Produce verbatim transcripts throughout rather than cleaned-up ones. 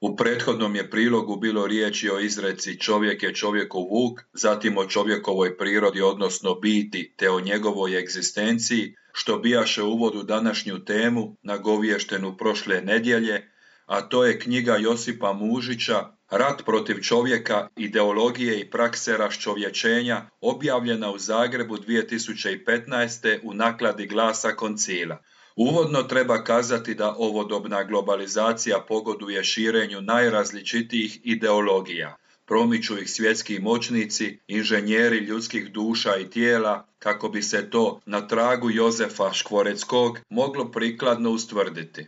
U prethodnom je prilogu bilo riječi o izreci čovjek je čovjekov vuk, zatim o čovjekovoj prirodi odnosno biti te o njegovoj egzistenciji, što bijaše uvod u današnju temu nagovještenu prošle nedjelje, a to je knjiga Josipa Mužića Rat protiv čovjeka, ideologije i prakse raščovječenja, objavljena u Zagrebu dvije tisuće petnaeste. u nakladi Glasa Koncila. Uvodno treba kazati da ovodobna globalizacija pogoduje širenju najrazličitijih ideologija. Promiču ih svjetski moćnici, inženjeri ljudskih duša i tijela, kako bi se to na tragu Jozefa Škvoreckog moglo prikladno ustvrditi.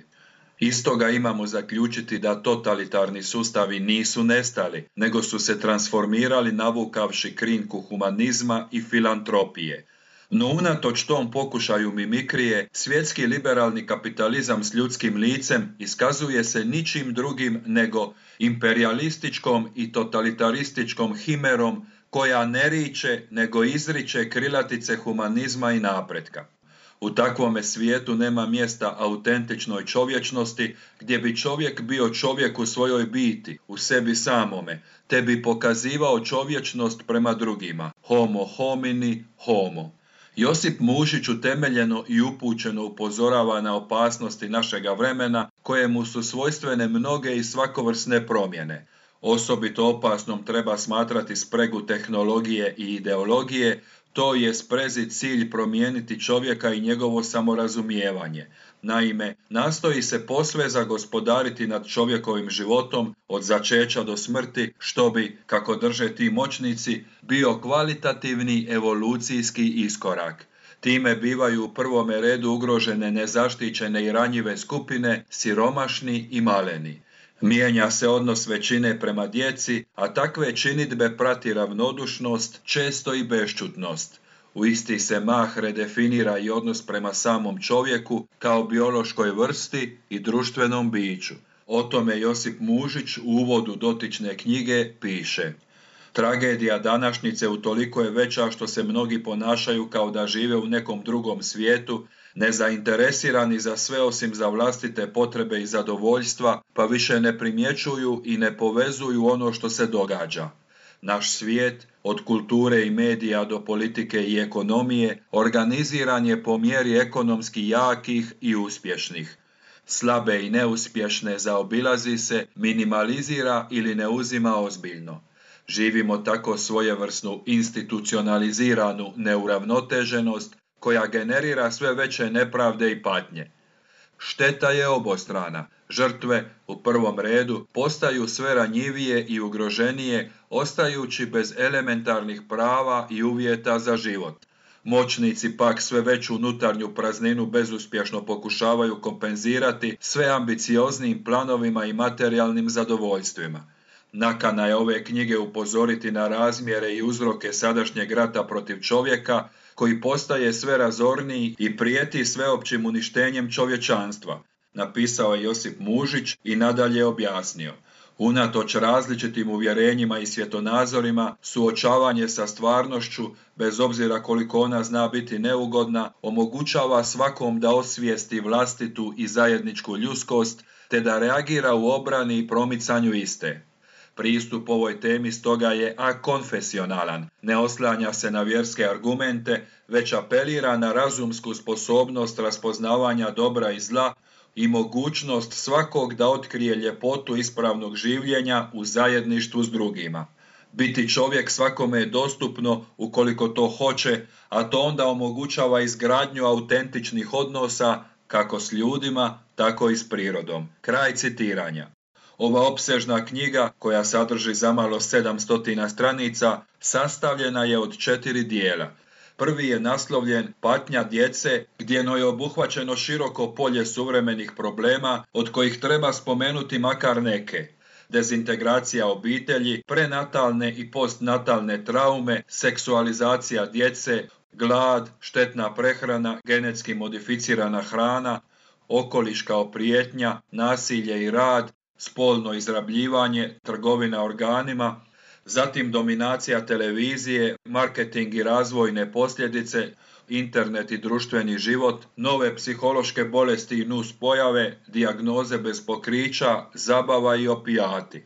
Iz toga imamo zaključiti da totalitarni sustavi nisu nestali, nego su se transformirali navukavši krinku humanizma i filantropije. No unatoč tom pokušaju mimikrije, svjetski liberalni kapitalizam s ljudskim licem iskazuje se ničim drugim nego imperijalističkom i totalitarističkom himerom koja ne riče nego izriče krilatice humanizma i napretka. U takvome svijetu nema mjesta autentičnoj čovječnosti gdje bi čovjek bio čovjek u svojoj biti, u sebi samome, te bi pokazivao čovječnost prema drugima. Homo homini homo. Josip Mužić utemeljeno i upućeno upozorava na opasnosti našega vremena kojemu su svojstvene mnoge i svakovrsne promjene. Osobito opasnom treba smatrati spregu tehnologije i ideologije, to je sprezi cilj promijeniti čovjeka i njegovo samorazumijevanje. Naime, nastoji se posve zagospodariti nad čovjekovim životom od začeća do smrti, što bi, kako drže ti moćnici, bio kvalitativni evolucijski iskorak. Time bivaju u prvome redu ugrožene nezaštićene i ranjive skupine, siromašni i maleni. Mijenja se odnos većine prema djeci, a takve činidbe prati ravnodušnost, često i bešćutnost. U isti se mah redefinira i odnos prema samom čovjeku kao biološkoj vrsti i društvenom biću. O tome Josip Mužić u uvodu dotične knjige piše: Tragedija današnjice utoliko je veća što se mnogi ponašaju kao da žive u nekom drugom svijetu, nezainteresirani za sve osim za vlastite potrebe i zadovoljstva, pa više ne primjećuju i ne povezuju ono što se događa. Naš svijet, od kulture i medija do politike i ekonomije, organiziran je po mjeri ekonomski jakih i uspješnih. Slabe i neuspješne zaobilazi se, minimalizira ili ne uzima ozbiljno. Živimo tako svojevrsnu institucionaliziranu neuravnoteženost koja generira sve veće nepravde i patnje. Šteta je obostrana. Žrtve, u prvom redu, postaju sve ranjivije i ugroženije, ostajući bez elementarnih prava i uvjeta za život. Moćnici pak sve veću unutarnju prazninu bezuspješno pokušavaju kompenzirati sve ambicioznim planovima i materijalnim zadovoljstvima. Nakana je ove knjige upozoriti na razmjere i uzroke sadašnjeg rata protiv čovjeka, koji postaje sve razorniji i prijeti sveopćim uništenjem čovječanstva, napisao je Josip Mužić i nadalje objasnio. Unatoč različitim uvjerenjima i svjetonazorima, suočavanje sa stvarnošću, bez obzira koliko ona zna biti neugodna, omogućava svakom da osvijesti vlastitu i zajedničku ljudskost, te da reagira u obrani i promicanju iste. Pristup ovoj temi stoga je akonfesionalan, ne oslanja se na vjerske argumente, već apelira na razumsku sposobnost raspoznavanja dobra i zla i mogućnost svakog da otkrije ljepotu ispravnog življenja u zajedništvu s drugima. Biti čovjek svakome je dostupno ukoliko to hoće, a to onda omogućava izgradnju autentičnih odnosa kako s ljudima, tako i s prirodom. Kraj citiranja. Ova opsežna knjiga, koja sadrži zamalo sedamsto stranica, sastavljena je od četiri dijela. Prvi je naslovljen Patnja djece, gdje je obuhvaćeno široko polje suvremenih problema, od kojih treba spomenuti makar neke. Dezintegracija obitelji, prenatalne i postnatalne traume, seksualizacija djece, glad, štetna prehrana, genetski modificirana hrana, okoliš kao prijetnja, nasilje i rad, spolno izrabljivanje, trgovina organima, zatim dominacija televizije, marketing i razvojne posljedice, internet i društveni život, nove psihološke bolesti i nuspojave, dijagnoze bez pokrića, zabava i opijati.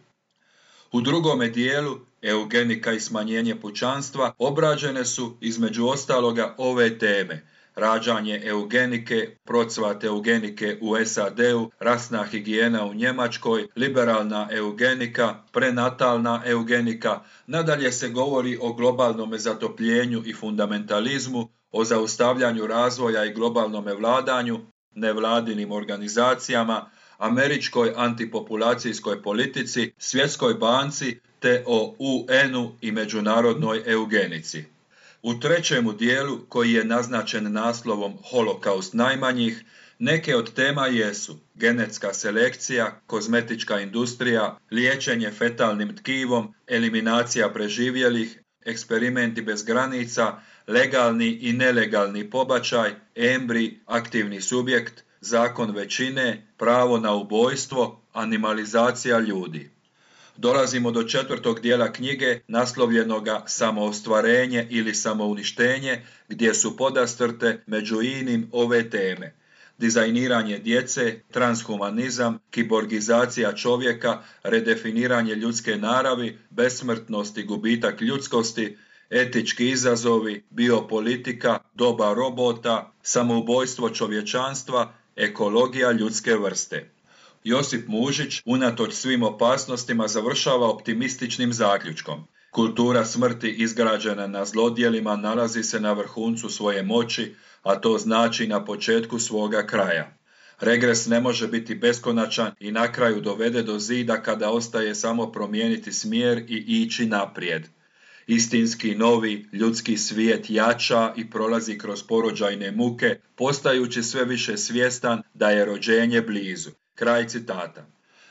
U drugome dijelu, eugenika i smanjenje pučanstva, obrađene su, između ostaloga, ove teme: rađanje eugenike, procvat eugenike u S A D-u, rasna higijena u Njemačkoj, liberalna eugenika, prenatalna eugenika. Nadalje se govori o globalnom zatopljenju i fundamentalizmu, o zaustavljanju razvoja i globalnom vladanju, nevladinim organizacijama, američkoj antipopulacijskoj politici, Svjetskoj banci te o U N-u i međunarodnoj eugenici. U trećemu dijelu, koji je naznačen naslovom Holokaust najmanjih, neke od tema jesu genetska selekcija, kozmetička industrija, liječenje fetalnim tkivom, eliminacija preživjelih, eksperimenti bez granica, legalni i nelegalni pobačaj, embrij, aktivni subjekt, zakon većine, pravo na ubojstvo, animalizacija ljudi. Dolazimo do četvrtog dijela knjige, naslovljenoga Samoostvarenje ili samouništenje, gdje su podastrte među inim ove teme: dizajniranje djece, transhumanizam, kiborgizacija čovjeka, redefiniranje ljudske naravi, besmrtnost i gubitak ljudskosti, etički izazovi, biopolitika, doba robota, samoubojstvo čovječanstva, ekologija ljudske vrste. Josip Mužić, unatoč svim opasnostima, završava optimističnim zaključkom: kultura smrti izgrađena na zlodjelima nalazi se na vrhuncu svoje moći, a to znači na početku svoga kraja. Regres ne može biti beskonačan i na kraju dovede do zida kada ostaje samo promijeniti smjer i ići naprijed. Istinski novi ljudski svijet jača i prolazi kroz porođajne muke, postajući sve više svjestan da je rođenje blizu. Kraj citata.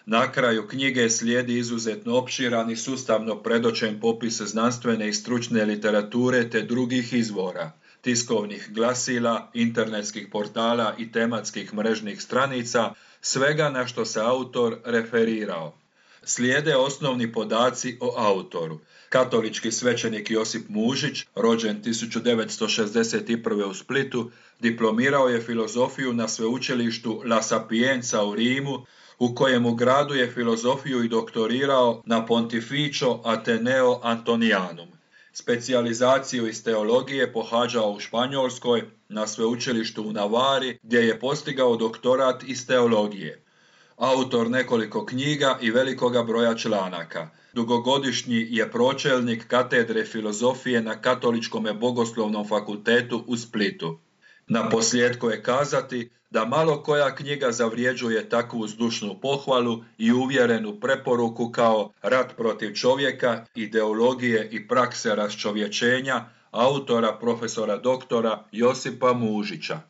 Na kraju knjige slijedi izuzetno opširan i sustavno predočen popis znanstvene i stručne literature te drugih izvora, tiskovnih glasila, internetskih portala i tematskih mrežnih stranica, svega na što se autor referirao. Slijede osnovni podaci o autoru. Katolički svećenik Josip Mužić, rođen tisuću devetsto šezdeset prve. u Splitu, diplomirao je filozofiju na sveučilištu La Sapienza u Rimu, u kojemu gradu je filozofiju i doktorirao na Pontificio Ateneo Antonianum. Specijalizaciju iz teologije pohađao u Španjolskoj na sveučilištu u Navari, gdje je postigao doktorat iz teologije. Autor nekoliko knjiga i velikoga broja članaka. Dugogodišnji je pročelnik katedre filozofije na Katoličkom bogoslovnom fakultetu u Splitu. Na posljedku je kazati da malo koja knjiga zavrijeđuje takvu zdušnu pohvalu i uvjerenu preporuku kao Rat protiv čovjeka, ideologije i prakse raščovječenja autora profesora doktora Josipa Mužića.